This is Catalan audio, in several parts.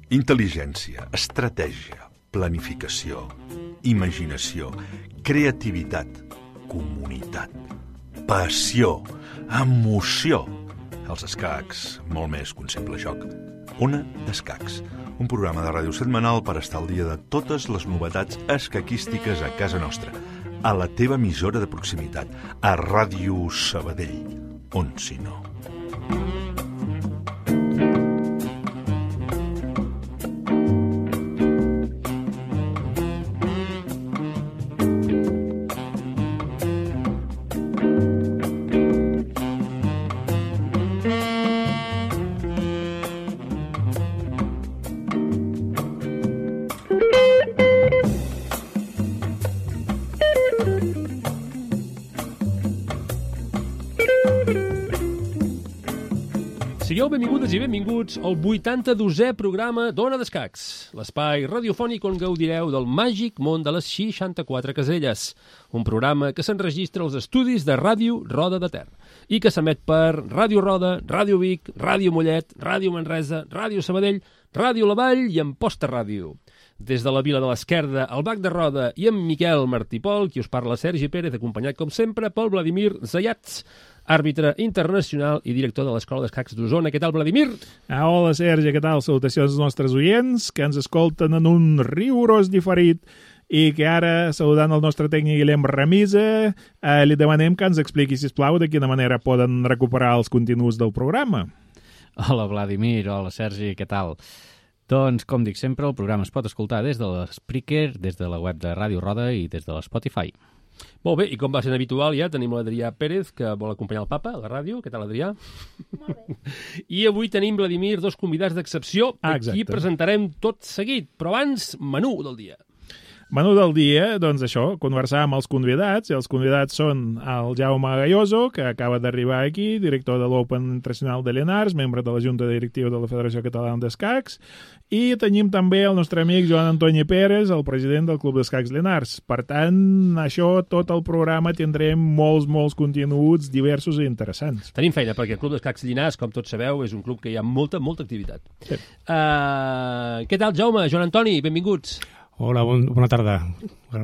Intel·ligència, estratègia, planificació, imaginació, creativitat, comunitat, passió, emoció. Els escacs, molt més que un simple joc. Ona d'Escacs, un programa de ràdio setmanal per estar al dia de totes les novetats escaquístiques a casa nostra, a la teva emissora de proximitat, a Ràdio Sabadell, on si no. Sigueu benvingudes i benvinguts al 82è programa d'Ona d'Escacs, l'espai radiofònic on gaudireu del màgic món de les 64 caselles, un programa que s'enregistra als estudis de Ràdio Roda de Ter i que s'emet per Ràdio Roda, Ràdio Vic, Ràdio Mollet, Ràdio Manresa, Ràdio Sabadell, Ràdio La Vall i Amposta Ràdio. Des de la Vila de l'Esquerda, al Bac de Roda i amb Miquel Martipol, qui us parla Sergi Pérez, acompanyat com sempre pel Vladimir Zayats, àrbitre internacional i director de l'Escola d'Escacs d'Osona. Què tal, Vladimir? Hola, Sergi, què tal? Salutacions als nostres oients que ens escolten en un rigorós diferit i que ara, saludant el nostre tècnic Guillem Ramisa, li demanem que ens expliqui, sisplau, de quina manera poden recuperar els continguts del programa. Hola, Vladimir. Hola, Sergi, què tal? Doncs, com dic sempre, el programa es pot escoltar des de l'Spreaker, des de la web de Ràdio Roda i des de l'Spotify. Molt bé, i com va ser habitual ja, tenim l'Adrià Pérez, que vol acompanyar el papa a la ràdio. Què tal, Adrià? Molt bé. I avui tenim, Vladimir, dos convidats d'excepció. Aquí presentarem tot seguit, però abans, menú del dia. Menú del dia, doncs això, conversar amb els convidats, i els convidats són el Jaume Galloso, que acaba d'arribar aquí, director de l'Open Internacional de Llenars, membre de la Junta Directiva de la Federació Catalana d'Escacs, i tenim també el nostre amic Joan Antoni Pérez, el president del Club d'Escacs Llenars. Per tant, això, tot el programa tindrem molts continguts diversos i interessants. Tenim feina, perquè el Club d'Escacs Llenars, com tots sabeu, és un club que hi ha molta activitat. Sí. Què tal, Jaume? Joan Antoni, benvinguts. Hola, bona tarda.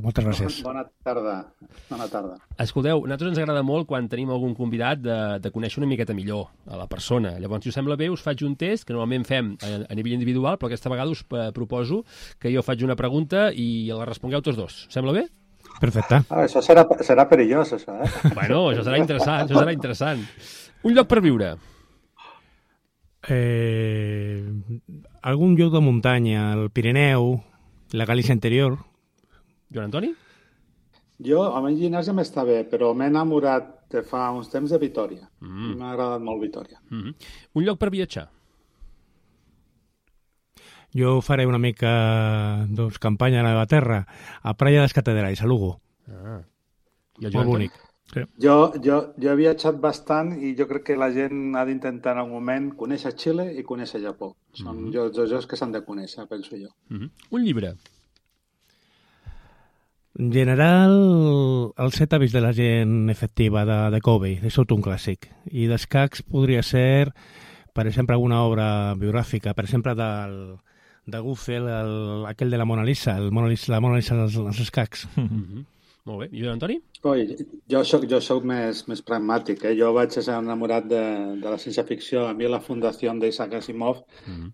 Moltes gràcies. Bona tarda. Escolteu, a nosaltres ens agrada molt quan tenim algun convidat de conèixer una miqueta millor a la persona. Llavors, si us sembla bé, us faig un test que normalment fem a nivell individual, però aquesta vegada us proposo que jo faig una pregunta i la respongueu tots dos. Sembla bé? Perfecte. Això serà perillós, això, eh? Bueno, això serà interessant, Un lloc per viure? Algun lloc de muntanya, el Pirineu, la Galícia interior. Joan Antoni? Jo, a mi Llinars ja m'està bé, però m'he enamorat de fa uns temps de Vitòria. M'ha agradat molt Vitòria. Un lloc per viatjar? Jo faré una mica campanya a la meva terra, a Praia dels Catedrals, a Lugo. I el Molt bonic. Sí. Jo he viatjat bastant i jo crec que la gent ha d'intentar en un moment conèixer Xile i conèixer Japó. Són llocs que s'han de conèixer, penso jo. Un llibre? En general, el 7 hàbits de la gent efectiva de Covey, és tot un clàssic. I d'escacs podria ser, per exemple, alguna obra biogràfica, per exemple, de Guffel, aquell de la Mona Lisa, la Mona Lisa dels escacs. Molt bé. I Joan Antoni? Jo soc més pragmàtic. Jo vaig ser enamorat de la ciència-ficció. A mi la Fundació d'Isaac Asimov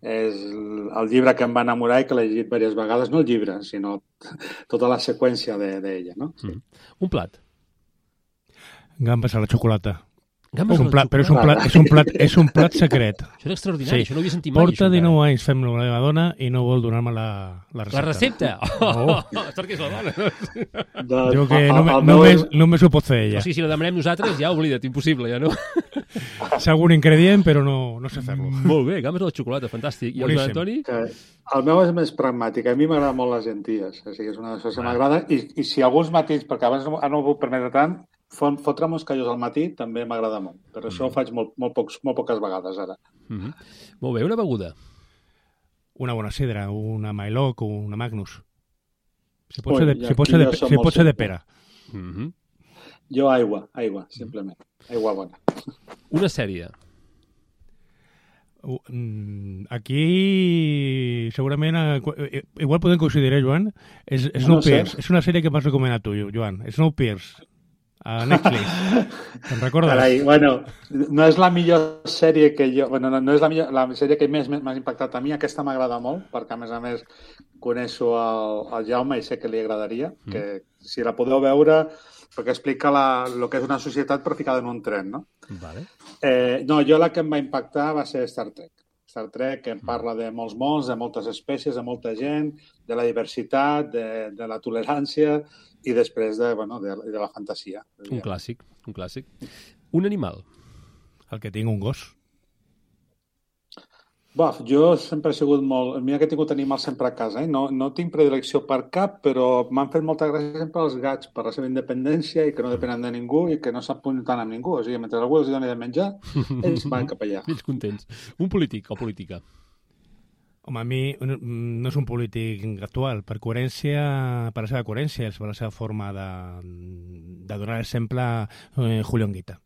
és el llibre que em va enamorar i que l'he llegit diverses vegades. No el llibre, sinó tota la seqüència d'ella. No? Sí. Un plat? Gambes a la xocolata. Gambes És un plat secret. Això és extraordinari, això no ho havia sentit mai. Porta 19 anys fem-lo a la meva dona i no vol donar-me la recepta. La recepta? Sort que és la dona. Diu que només ho pot fer ella. O sigui, si la demanem nosaltres, ja oblida't, impossible, ja no? És algun ingredient, però no sé fer-lo. Molt bé, gambes a la xocolata, fantàstic. I el Joan Antoni? El meu és més pragmàtic. A mi m'agrada molt les llenties. O sigui, és una de les coses que m'agrada. I si alguns matins, perquè abans no ho puc permetre tant, fotre moscallos al matí també m'agrada molt, però això ho faig molt poques vegades ara. Molt bé, una beguda? Una bona sidra, una Mailoc o una Magnus. Si pot ser de pera. Jo aigua, simplement. Aigua bona. Una sèrie? Aquí segurament igual podem coincidir, Joan? Snowpiercer. És una sèrie que m'has recomanat tu, Joan. Snowpiercer. A Netflix. Te'n recordes? Carai, bueno, no és la millor sèrie que jo... Bueno, no és la sèrie que més m'ha impactat a mi. Aquesta m'agrada molt, perquè a més coneixo el Jaume i sé que li agradaria, que si la podeu veure, perquè explica el que és una societat però ficada en un tren, no? Vale. No, jo la que em va impactar va ser Star Trek. Star Trek, que em parla de molts mons, de moltes espècies, de molta gent, de la diversitat, de la tolerància i després de la fantasia. Un clàssic. Un animal. El que tinc, un gos. Jo sempre he sigut molt... Mira que he tingut animals sempre a casa, No tinc predilecció per cap, però m'han fet molta gràcia sempre els gats per la seva independència i que no depenen de ningú i que no s'apunten amb ningú. O sigui, mentre algú els doni de menjar, ells van cap allà. Ells contents. Un polític o política? Home, a mi no és un polític actual. Per la seva coherència, per la seva forma de donar exemple, Julio Anguita.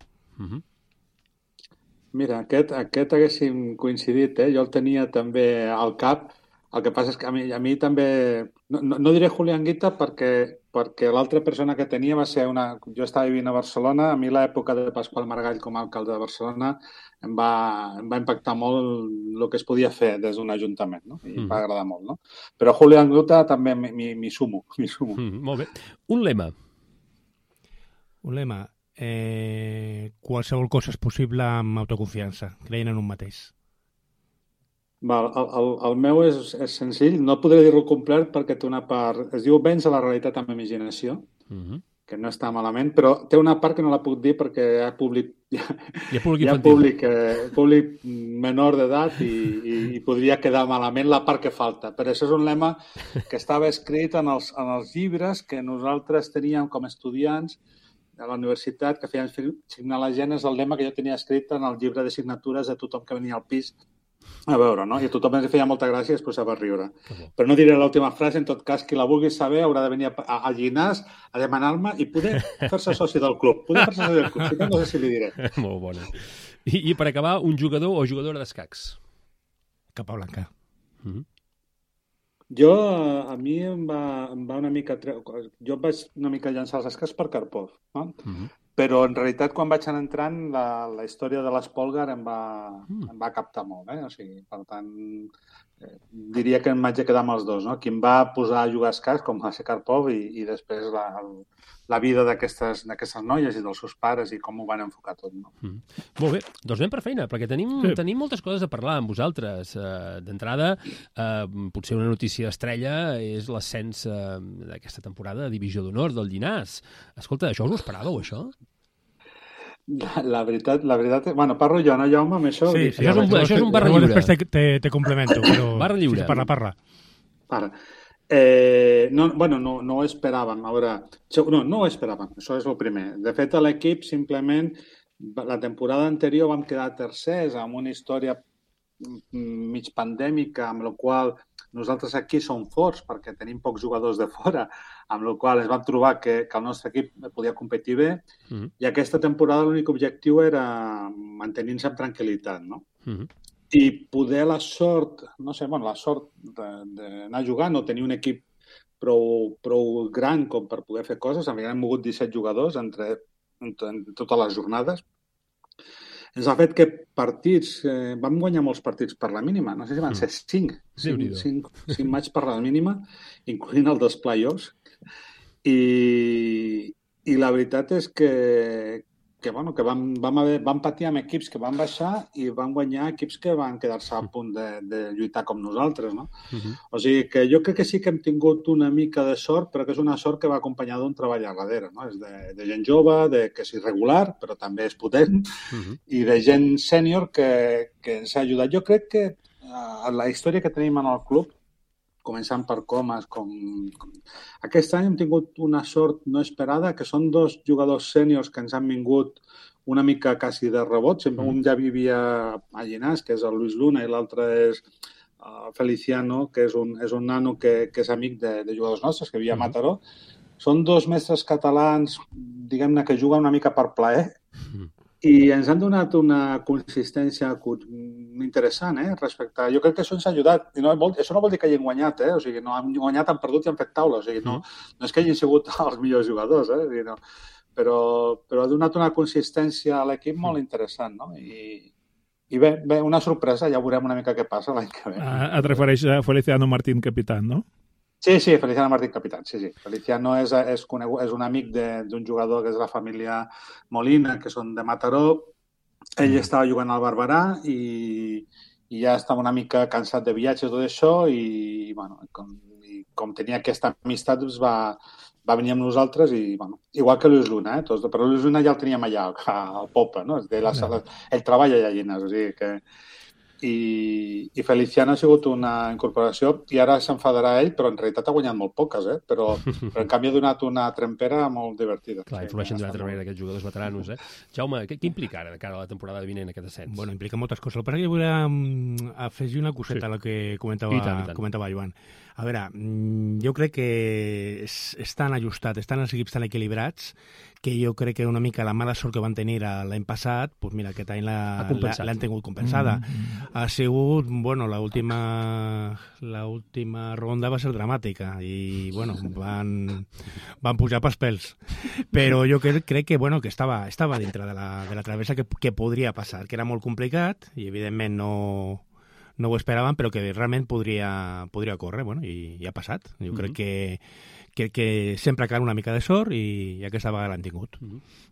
Mira, aquest haguéssim coincidit, Jo el tenia també al cap. El que passa és que a mi també... No diré Julio Anguita perquè l'altra persona que tenia va ser una... Jo estava vivint a Barcelona, a mi l'època de Pasqual Maragall com a alcalde de Barcelona em va impactar molt el que es podia fer des d'un ajuntament, no? I em va agradar molt, no? Però Julio Anguita també m'hi sumo. Molt bé. Un lema? Un lema... qualsevol cosa és possible amb autoconfiança, creient en un mateix. El meu és senzill, no podré dir-ho complet perquè té una part... Es diu vèncer la realitat amb imaginació, que no està malament, però té una part que no la puc dir perquè hi ha públic menor d'edat i podria quedar malament la part que falta. Però això és un lema que estava escrit en els llibres que nosaltres teníem com a estudiants a la universitat, que feien signar la gent, és el lema que jo tenia escrit en el llibre de signatures de tothom que venia al pis a veure, no? I a tothom ens feia molta gràcia i es posava a riure. Però no diré l'última frase, en tot cas, qui la vulgui saber haurà de venir al Llinàs a demanar-me i poder fer-se soci del club. Si no sé si li diré. Molt bona. I per acabar, un jugador o jugadora d'escacs? Capablanca. A mi em va una mica... Jo vaig una mica llançar els escacs per Karpov, no? Però en realitat quan vaig anar entrant la història de l'Espolgar em va captar molt, O sigui, per tant, diria que em vaig quedar amb els dos, no? Qui em va posar a jugar escacs, com va ser Karpov, i després la vida d'aquestes noies i dels seus pares i com ho van enfocar tot, no? Molt bé, doncs anem per feina, perquè tenim moltes coses a parlar amb vosaltres. D'entrada, potser una notícia estrella és l'ascens d'aquesta temporada de Divisió d'Honor del Llinàs. Escolta, això us ho esperàveu, això? La veritat... Bueno, parlo jo, no, Jaume, amb això? Sí, això és un barra lliure. Després te complemento, però... Barra lliure. Parla. No ho esperàvem. A veure, no ho esperàvem, això és el primer. De fet, a l'equip, simplement, la temporada anterior vam quedar tercers amb una història mig pandèmica, amb la qual nosaltres aquí som forts perquè tenim pocs jugadors de fora, amb la qual ens vam trobar que el nostre equip podia competir bé, i aquesta temporada l'únic objectiu era mantenir-se amb tranquil·litat, no? I poder la sort d'anar jugant o tenir un equip prou gran com per poder fer coses. Hem mogut 17 jugadors entre totes les jornades. Ens ha fet que vam guanyar molts partits per la mínima, no sé si van ser 5 matxs per la mínima, incloent el dels play-offs. I la veritat és que vam patir amb equips que van baixar i van guanyar equips que van quedar-se a punt de lluitar com nosaltres, no? O sigui que jo crec que sí que hem tingut una mica de sort, però que és una sort que va acompanyada d'un treball a darrere, no? És de gent jove, que és irregular, però també és potent, i de gent sènior que ens ha ajudat. Jo crec que la història que tenim en el club, començant per Comas, aquest any hem tingut una sort no esperada, que són 2 jugadors sèniors que ens han vingut una mica quasi de rebot. Un ja vivia a Llinàs, que és el Luis Luna, i l'altre és Feliciano, que és un nano que és amic de jugadors nostres, que vivia a Mataró. Són 2 mestres catalans, diguem-ne, que juguen una mica per plaer, i ens han donat una consistència, una interessant, respecte... Jo crec que això ens ha ajudat. I això no vol dir que hagin guanyat, O sigui, no han guanyat, han perdut i han fet taula. O sigui, no és que hagin sigut els millors jugadors, O sigui, no. Però ha donat una consistència a l'equip molt interessant, no? I bé, una sorpresa, ja veurem una mica què passa l'any que ve. Et refereix a Feliciano Martín Capitán, no? Sí, Feliciano Martín Capitán, sí. Feliciano és un amic d'un jugador que és la família Molina, que són de Mataró. Ell estava jugant al Barberà i ja estava una mica cansat de viatges i tot això i bueno, com tenia aquesta amistat, doncs va venir amb nosaltres i, bueno, igual que Luis Luna, però Luis Luna ja el teníem allà, al Popa, no? Ell treballa allà a Llinars, o sigui que... I Feliciano ha sigut una incorporació i ara s'enfadarà ell, però en realitat ha guanyat molt poques, però en canvi ha donat una trempera molt divertida. Clar, influeixen d'una altra manera aquests jugadors veteranos, Jaume, què implica ara de cara a la temporada vinent aquest ascens? Bueno, implica moltes coses. El que jo volia afegir una coseta a la que comentava Joan. A veure, jo crec que és tan ajustat, estan els equips tan equilibrats que jo crec que una mica la mala sort que van tenir l'any passat, doncs mira, aquest any l'han tingut compensada. Ha sigut, bueno, l'última ronda va ser dramàtica i, bueno, van pujar pels pèls. Però jo crec que, bueno, que estava dintre de la travessa que podria passar, que era molt complicat i, evidentment, no ho esperaven, però que realment podria córrer, bueno, i ha passat. Jo crec que sempre cal una mica de sort i aquesta vegada l'han tingut.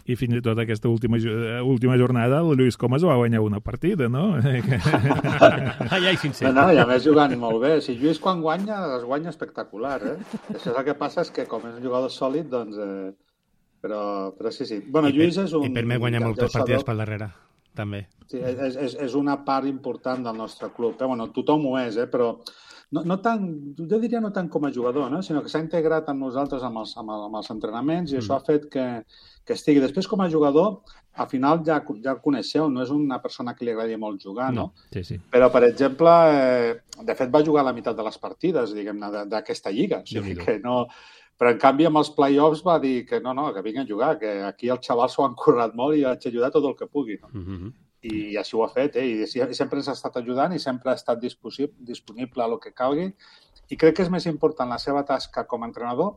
I fins i tot aquesta última jornada el Lluís Comas va guanyar una partida, no? Ai, sincer. No, i a més jugant molt bé. Si Lluís quan guanya, es guanya espectacular, Això el que passa és que com és un jugador sòlid, doncs... Però sí. Bueno, Lluís és un... I per mi guanya moltes partides pel darrere, també. Sí, és una part important del nostre club. Bueno, tothom ho és, però no tant, jo diria no tant com a jugador, sinó que s'ha integrat amb nosaltres amb els entrenaments i això ha fet que estigui. Després, com a jugador, al final ja el coneixeu, no és una persona que li agradi molt jugar, no? Sí. Però, per exemple, de fet va jugar la meitat de les partides, diguem-ne, d'aquesta lliga. O sigui que no... Però, en canvi, amb els play-offs va dir que no, que vinguin a jugar, que aquí els xavals s'ho han currat molt i haig d'ajudar tot el que pugui, no? I així ho ha fet, i sempre ens ha estat ajudant i sempre ha estat disponible a lo que calgui. I crec que és més important la seva tasca com a entrenador,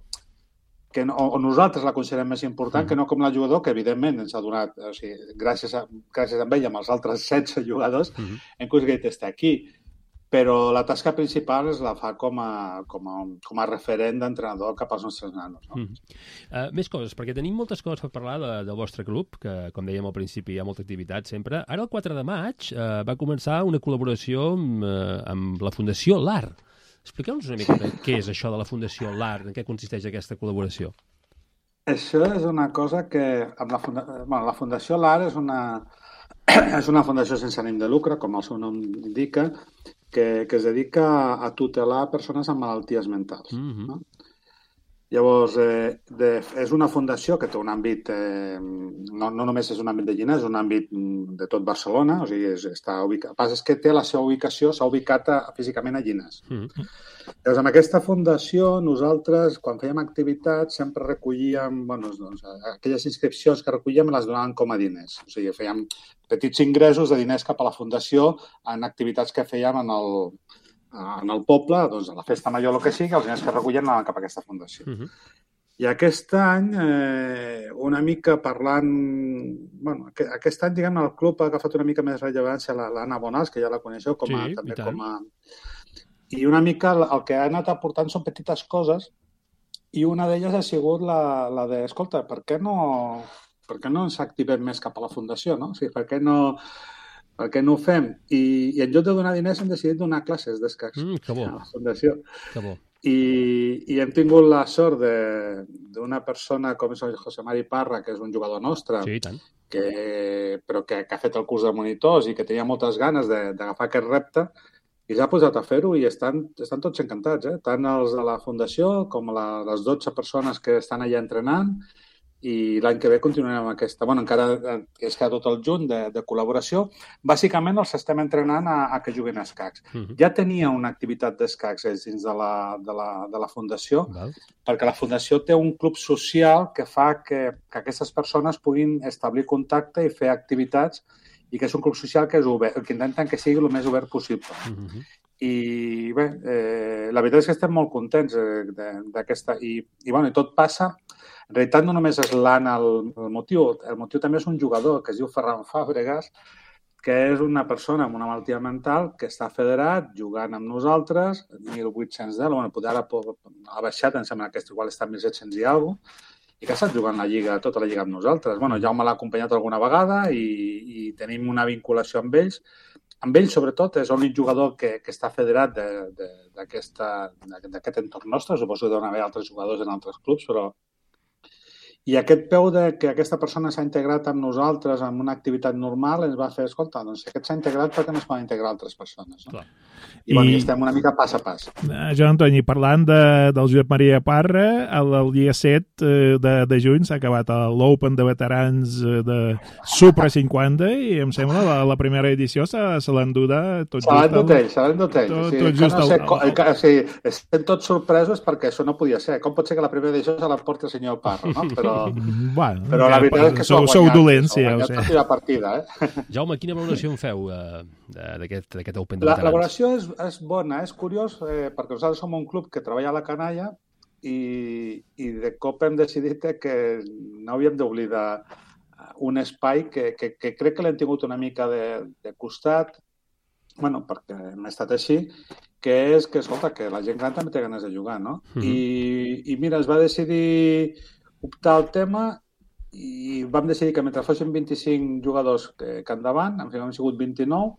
o nosaltres la considerem més important, que no com la jugador, que evidentment ens ha donat, o sigui, gràcies a ell amb els altres 16 jugadors, hem aconseguit estar aquí. Però la tasca principal la fa com a referent d'entrenador cap als nostres nanos. No? Més coses, perquè tenim moltes coses per parlar del vostre club, que, com dèiem al principi, hi ha molta activitat sempre. Ara, el 4 de maig, va començar una col·laboració amb la Fundació LAR. Expliqueu-nos una mica què és això de la Fundació LAR, en què consisteix aquesta col·laboració. Això és una cosa que... la Fundació LAR és una fundació sense ànim de lucre, com el seu nom indica, que es dedica a tutelar persones amb malalties mentals. No? Llavors, és una fundació que té un àmbit, no només és un àmbit de Llinars, és un àmbit de tot Barcelona, o sigui, està ubicat. El que passa és que té la seva ubicació, s'ha ubicat físicament a Llinars. Llavors, amb aquesta fundació, nosaltres, quan fèiem activitats, sempre recollíem, aquelles inscripcions que recollíem les donàvem com a diners. O sigui, fèiem petits ingressos de diners cap a la fundació en activitats que fèiem en el poble, doncs a la festa major o el que sigui, els diners que recullen anaven cap a aquesta fundació. I aquest any, una mica parlant... aquest any, diguem, el club ha agafat una mica més rellevància l'Anna Bonals, que ja la coneixeu, també com a... I una mica el que ha anat aportant són petites coses i una d'elles ha sigut la de, escolta, per què no ens activem més cap a la fundació, no? O sigui, per què no ho fem? I en lloc de donar diners hem decidit donar classes d'escacs a la fundació. Que bo. I hem tingut la sort d'una persona com és el José Mari Parra, que és un jugador nostre, sí, tant. però que ha fet el curs de monitors i que tenia moltes ganes d'agafar aquest repte, i s'ha posat a fer-ho i estan tots encantats, tant els de la fundació com les 12 persones que estan allà entrenant, i l'any que ve continuarem amb aquesta. Encara és que tot el juny de col·laboració. Bàsicament els estem entrenant a que juguin a escacs. Ja tenia una activitat d'escacs dins de la fundació, perquè la fundació té un club social que fa que aquestes persones puguin establir contacte i fer activitats i que és un club social que és obert, que intenten que sigui el més obert possible. I bé, la veritat és que estem molt contents d'aquesta... I tot passa... En realitat no només és l'Anna el motiu també és un jugador que es diu Ferran Fàbregas, que és una persona amb una malaltia mental que està federat, jugant amb nosaltres, 1.810, poder ara ha baixat, em sembla que igual està 1.700 i alguna cosa, i que ha estat jugant tota la lliga amb nosaltres. Jaume l'ha acompanyat alguna vegada i tenim una vinculació amb ells. Amb ells, sobretot, és l'únic jugador que està federat d'aquest entorn nostre. Suposo que deuen haver altres jugadors en altres clubs, però... I aquest peu que aquesta persona s'ha integrat amb nosaltres en una activitat normal ens va fer, escolta, doncs aquest s'ha integrat perquè no es poden integrar altres persones, no? Clar. I estem una mica pas a pas. Joan Antoni, parlant del Josep Maria Parra, el dia 7 de juny s'ha acabat l'Open de veterans de Supra 50 i em sembla la primera edició se l'han duda tot just... Se l'han dut estem tots sorpresos perquè això no podia ser. Com pot ser que la primera edició se l'emporti el senyor Parra, no? Però la veritat és que sou dolents, sí, ja ho sé. La partida, Jaume, quina valoració en feu d'aquest Open de veterans? La valoració és bona, és curiós, perquè nosaltres som un club que treballa a la canalla i de cop hem decidit que no havíem d'oblidar un espai que crec que l'hem tingut una mica de costat, perquè hem estat així, que és que, escolta, que la gent gran també té ganes de jugar, no? I mira, es va decidir optar el tema i vam decidir que mentre fossin 25 jugadors que endavant, en fi, hem sigut 29,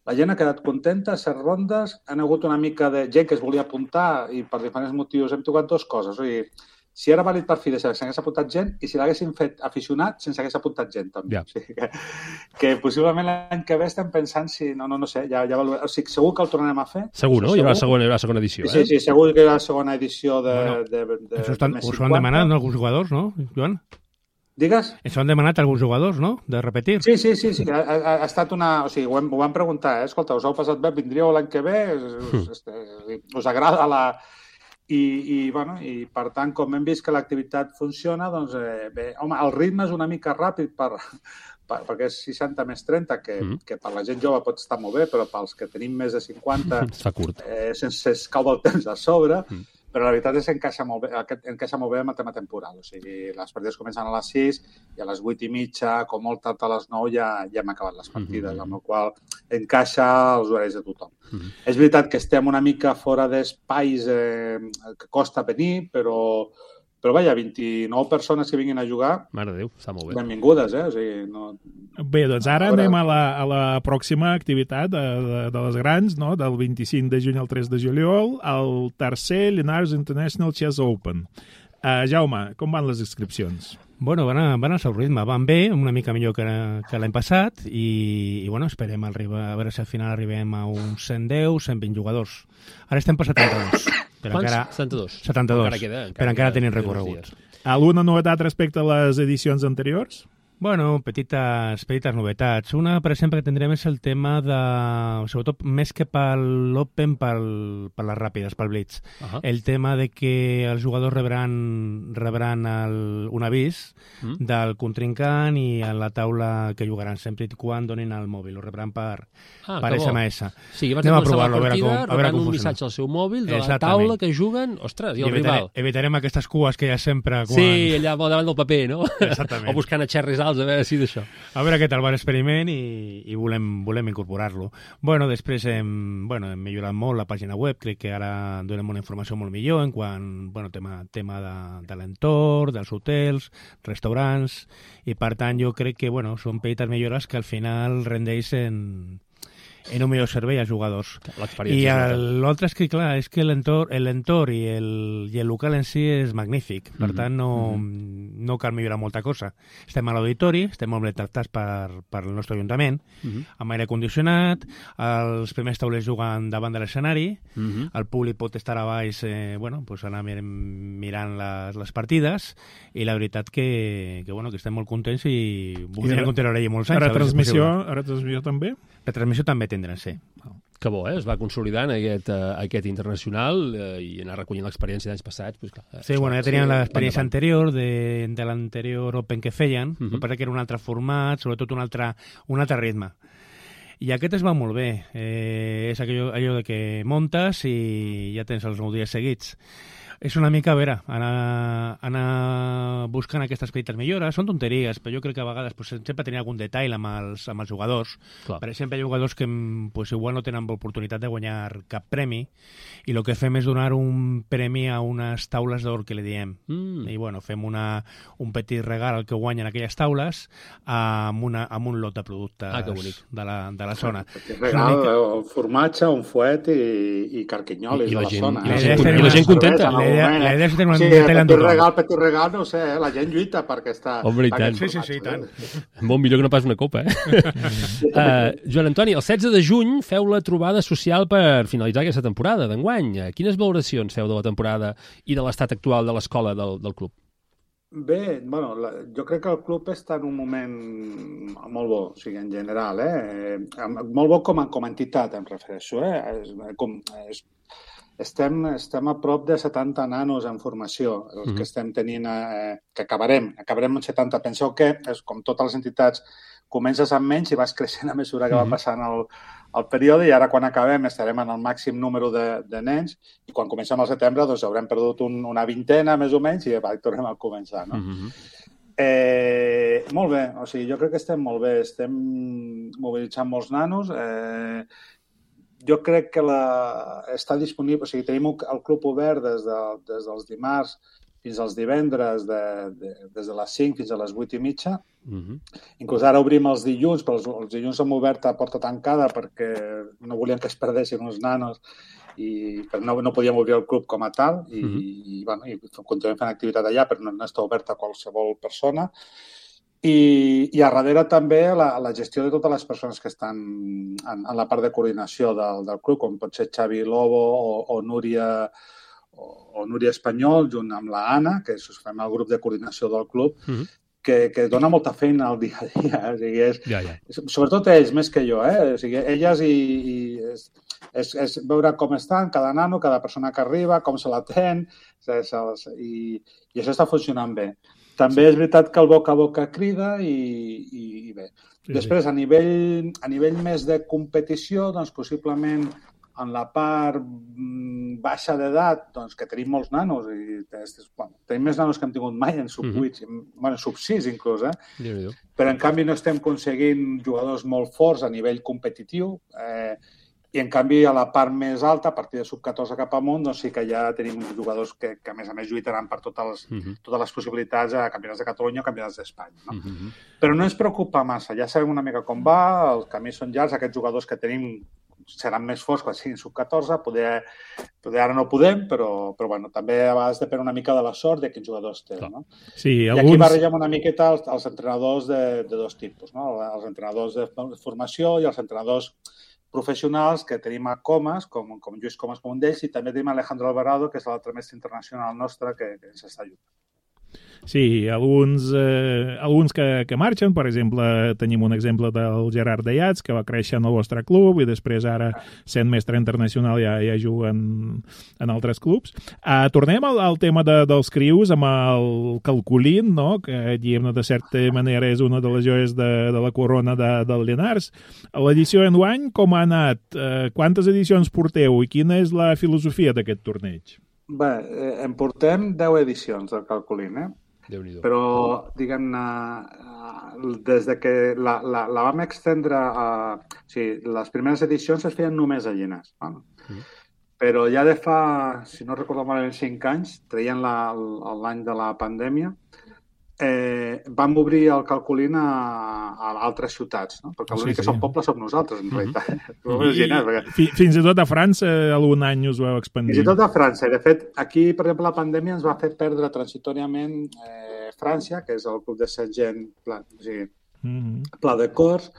la gent ha quedat contenta, 7 rondes, han hagut una mica de gent que es volia apuntar i per diferents motius hem tocat dues coses. O sigui, si era vàlid per fi de ser, s'hagués apuntat gent i si l'haguéssim fet aficionat, sense hagués apuntat gent, també. Yeah. O sigui que possiblement l'any que ve estem pensant si... No sé, ja o sigui, segur que el tornarem a fer. Segur, no? Hi haurà segona edició, Sí, segur que hi haurà segona edició de Us ho han demanat, no, alguns jugadors, no, Joan? Digues? Ens ho han demanat alguns jugadors, no?, de repetir. Sí. Ha estat una... O sigui, ho vam preguntar, Escolta, us heu passat bé? Vindríeu l'any que ve? Us agrada la... I per tant, com hem vist que l'activitat funciona, doncs bé, home, el ritme és una mica ràpid perquè és 60 més 30, que per la gent jove pot estar molt bé, però pels que tenim més de 50 està curt. Sense cau del temps a sobre, però la veritat és que encaixa molt bé amb el tema temporal. O sigui, les partides comencen a les 6 i a les 8:30, com molt tard a les 9, ja hem acabat les partides, amb la qual encaixa els horaris de tothom. És veritat que estem una mica fora d'espais que costa venir, però vaja, 29 persones que vinguin a jugar... Mare de Déu, està molt bé. Benvingudes, O sigui, no... Bé, doncs ara anem a la pròxima activitat de les grans, no?, del 25 de juny al 3 de juliol, el tercer Llinars International Chess Open. Jaume, com van les inscripcions? Bueno, van al seu ritme, van bé, una mica millor que l'any passat i esperem arribar, a veure si al final arribem a uns 110, 120 jugadors. Ara estem per 72. Quants? 72? 72, però encara tenim recorregut. Alguna novetat respecte a les edicions anteriors? Bueno, petites novetats. Una, per exemple, que tindrem és el tema de... Sobretot, més que per l'Open, per les ràpides, pel Blitz. El tema de que els jugadors rebran un avís del contrincant i a la taula que jugaran, sempre i quan donin el mòbil. Ho rebran per SMS. Sí, abans de començar la partida, rebran un missatge al seu mòbil de la taula que juguen, ostres, i el rival. Evitarem aquestes cues que hi ha sempre... Sí, allà davant del paper, no? Exactament. O buscant a xerris alts, a veure si d'això. A veure què tal va l'experiment i volem incorporar-lo. Bueno, després hem millorat molt la pàgina web, crec que ara donem una informació molt millor en quant, tema de l'entorn, dels hotels, restaurants, i per tant jo crec que, són petites millores que al final rendeixen en un millor servei als jugadors. I l'altre és que, clar, és que l'entorn i el local en si és magnífic. Per tant, no cal millorar molta cosa. Estem a l'auditori, estem molt ben tractats per el nostre ajuntament, amb aire condicionat, els primers taulers juguen davant de l'escenari, el públic pot estar a baix, anar mirant les partides, i la veritat que estem molt contents i voldríem continuar allà molts anys. Retransmissió també? Retransmissió també tindran, sí. Que bo, es va consolidant aquest internacional i anar recollint l'experiència d'anys passats. Pues, clar, sí, bueno, ja teníem l'experiència anterior de l'anterior Open que feien, el que passa que era un altre format, sobretot un altre ritme. I aquest es va molt bé. És allò de que muntes i ja tens els 9 dies seguits. És una mica, a veure, anar buscant aquestes petites millores. Són tonteries, però jo crec que a vegades sempre tenia algun detall amb els jugadors. Clar. Per exemple, hi ha jugadors que igual no tenen l'oportunitat de guanyar cap premi i el que fem és donar un premi a unes taules d'or que li diem. I bueno, fem un petit regal al que guanyen aquelles taules amb un lot de productes de la zona. Un regal, un formatge, un fuet i carquinyolis de la zona. I la gent contenta. La idea és tenir un detall en tothom. Petit regal, no sé, la gent lluita perquè està... Home, i tant. Sí, tant. Molt millor que no pas una copa, Joan Antoni, el 16 de juny feu la trobada social per finalitzar aquesta temporada d'enguany. Quines valoracions feu de la temporada i de l'estat actual de l'escola del club? Bé, bueno, jo crec que el club està en un moment molt bo, o sigui, en general, molt bo com a entitat, em refereixo, Estem a prop de 70 nanos en formació, els que estem tenint, que acabarem amb 70. Penseu que, com totes les entitats, comences amb menys i vas creixent a mesura que va passant el període i ara quan acabem estarem en el màxim número de nens i quan comencem al setembre doncs haurem perdut una vintena més o menys i tornem a començar, no? Molt bé, o sigui, jo crec que estem molt bé, estem mobilitzant molts nanos, jo crec que està disponible, o sigui, tenim el club obert des dels dimarts fins als divendres, des de les 5 fins a les 8:30. Inclús ara obrim els dilluns, però els dilluns hem obert a porta tancada perquè no volíem que es perdessin uns nanos i no podíem obrir el club com a tal i continuem fent activitat allà, però no està obert a qualsevol persona. I a darrere també la gestió de totes les persones que estan en la part de coordinació del club, com pot ser Xavi Lobo o Núria Espanyol, junt amb la Anna, que fem el grup de coordinació del club, que dona molta feina al dia a dia. O sigui, sobretot ells, més que jo. O sigui, elles és veure com estan, cada nano, cada persona que arriba, com se l'atén, i això està funcionant bé. També és veritat que el boca a boca crida i bé. Després, a nivell més de competició, doncs possiblement en la part baixa d'edat, doncs que tenim molts nanos i tenim més nanos que hem tingut mai en sub-8, sub-6 inclús, però en canvi no estem aconseguint jugadors molt forts a nivell competitiu i en canvi a la part més alta, a partir de sub-14 cap amunt, doncs sí que ja tenim jugadors que a més lluitaran per totes les possibilitats a campionats de Catalunya o campionats d'Espanya. Però no ens preocupa massa, ja sabem una mica com va, els camins són llargs, aquests jugadors que tenim seran més forts quan siguin sub-14, poder ara no podem, però bueno, també a vegades depèn una mica de la sort de quins jugadors tenen. No? Sí, I aquí barregem una miqueta els entrenadors de dos tipus, no? Els entrenadors de formació i els entrenadors professionals que tenim a Comas, com Lluís Comas com un d'ells, i també tenim Alejandro Alvarado, que és l'altre mestre internacional nostre que ens està ajudant. Sí, alguns que marxen, per exemple, tenim un exemple del Gerard Dayats, que va créixer en el vostre club i després ara, sent mestre internacional, ja juga en altres clubs. Tornem al tema dels crius amb el Calculín, no? Que diguem-ne de certa manera és una de les joies de la corona del Llinars. L'edició enguany, com ha anat? Quantes edicions porteu i quina és la filosofia d'aquest torneig? Bé, en portem 10 edicions del Calculín, però, diguem-ne, des de que la vam extendre o sigui, les primeres edicions es feien només a Llinars. Però ja de fa, si no recordo malament, 5 anys, traient l'any de la pandèmia, vam obrir el Calculín a altres ciutats, no? Perquè l'únic que som pobles som nosaltres, en realitat. Fins i tot a França algun any us ho heu expandit. Fins i tot a França. De fet, aquí, per exemple, la pandèmia ens va fer perdre transitoriament França, que és el club de Saint-Jean, Pla de Cors,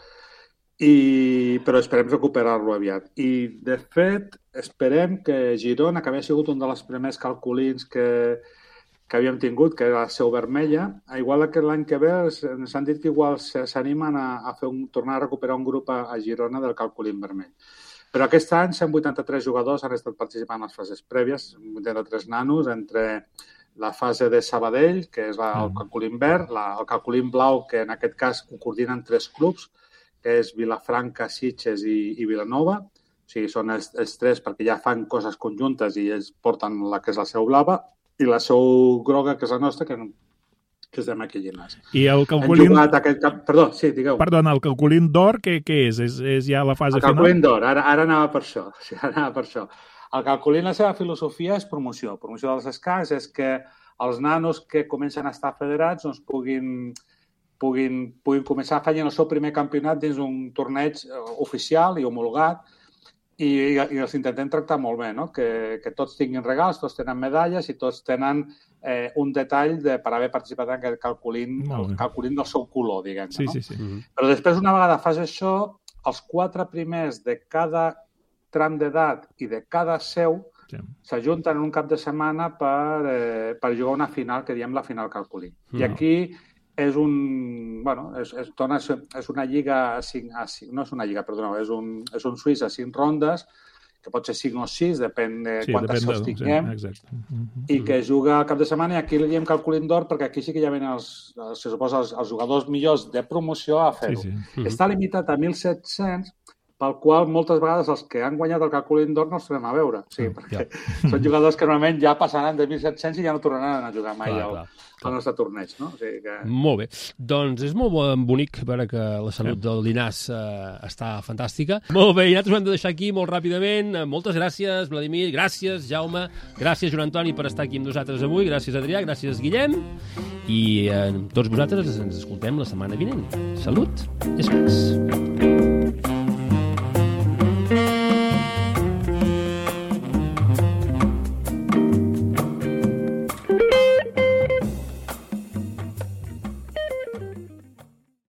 però esperem recuperar-lo aviat. I, de fet, esperem que Girona, que havia sigut un dels primers Calculins que havíem tingut, que era la Seu Vermella, igual que l'any que ve ens han dit que igual s'animen a tornar a recuperar un grup a Girona del Calculín Vermell. Però aquest any 183 jugadors han estat participant en les fases prèvies, 83 nanos, entre la fase de Sabadell, que és el calculín verd, el calculín blau, que en aquest cas ho coordinen 3 clubs, que és Vilafranca, Sitges i Vilanova. O sigui, són els 3 perquè ja fan coses conjuntes i ells porten la que és la seu blava, i la seu groga, que és la nostra, que estem aquí a Llinars. I el calculín... Perdó, sí, digueu. Perdona, el calculín d'or, què és? És ja la fase final? El calculín d'or, ara anava per això. Sí, ara anava per això. El calculín, la seva filosofia és promoció. Promoció dels escacs és que els nanos que comencen a estar federats doncs, puguin començar a fer el seu primer campionat dins un torneig oficial i homologat i els intentem tractar molt bé, no? Que tots tinguin regals, tots tenen medalles i tots tenen un detall per haver participat en aquest calculín, el calculín del seu color, diguem-ne. Sí, no? sí, sí. Però després, una vegada fas això, els 4 primers de cada tram d'edat i de cada seu s'ajunten en un cap de setmana per jugar una final, que diem la final calculí. I aquí és una lliga, no és una lliga, perdoneu, és un suís a 5 rondes, que pot ser 5 o 6, depèn de quantes seus tinguem, i que juga al cap de setmana, i aquí li diem calculín d'or, perquè aquí sí que ja venen els jugadors millors de promoció a fer-ho. Està limitat a 1.700, pel qual moltes vegades els que han guanyat el calculín d'or no els tornem a veure. Sí, perquè són jugadors que normalment ja passaran de 1.700 i ja no tornaran a jugar mai al nostre torneig. No? O sigui que... Molt bé. Doncs és molt bonic veure que la salut del Llinars està fantàstica. Molt bé, i nosaltres ho hem de deixar aquí molt ràpidament. Moltes gràcies, Vladimir. Gràcies, Jaume. Gràcies, Joan Antoni, per estar aquí amb nosaltres avui. Gràcies, Adrià. Gràcies, Guillem. I tots vosaltres ens escoltem la setmana vinent. Salut i escacs.